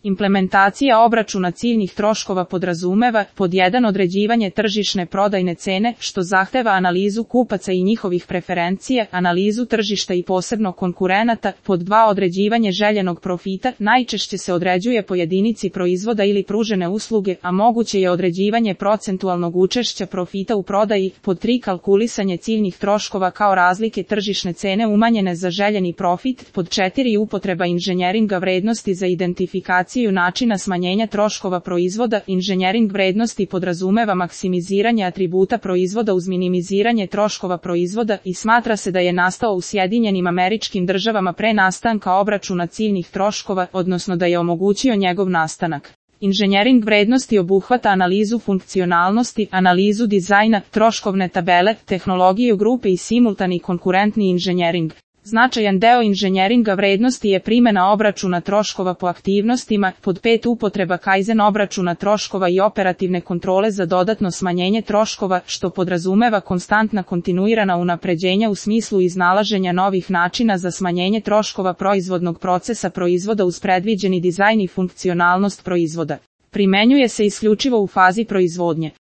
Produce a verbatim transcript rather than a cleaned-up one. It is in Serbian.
Implementacija obračuna ciljnih troškova podrazumeva pod jedan određivanje tržišne prodajne cene, što zahteva analizu kupaca i njihovih preferencija, analizu tržišta i posebno konkurenata, pod dva određivanje željenog profita, najčešće se određuje po jedinici proizvoda ili pružene usluge, a moguće je određivanje procentualnog učešća profita u prodaji, pod tri kalkulisanje ciljnih troškova kao razlike tržišne cene umanjene za željeni profit, pod četiri upotreba inženjeringa vrednosti za identifikaciju načina smanjenja troškova proizvoda. Inženjering vrednosti podrazumeva maksimiziranje atributa proizvoda uz minimiziranje troškova proizvoda i smatra se da je nastao u Sjedinjenim Američkim Državama pre nastanka obračuna ciljnih troškova, odnosno da je omogućio njegov nastanak. Inženjering vrednosti obuhvata analizu funkcionalnosti, analizu dizajna, troškovne tabele, tehnologiju grupe i simultani konkurentni inženjering. Značajan deo inženjeringa vrednosti je primjena obračuna troškova po aktivnostima, pod pet upotreba Kaizen obračuna troškova i operativne kontrole za dodatno smanjenje troškova, što podrazumeva konstantna kontinuirana unapređenja u smislu iznalaženja novih načina za smanjenje troškova proizvodnog procesa proizvoda uz predviđeni dizajn i funkcionalnost proizvoda. Primenjuje se isključivo u fazi proizvodnje.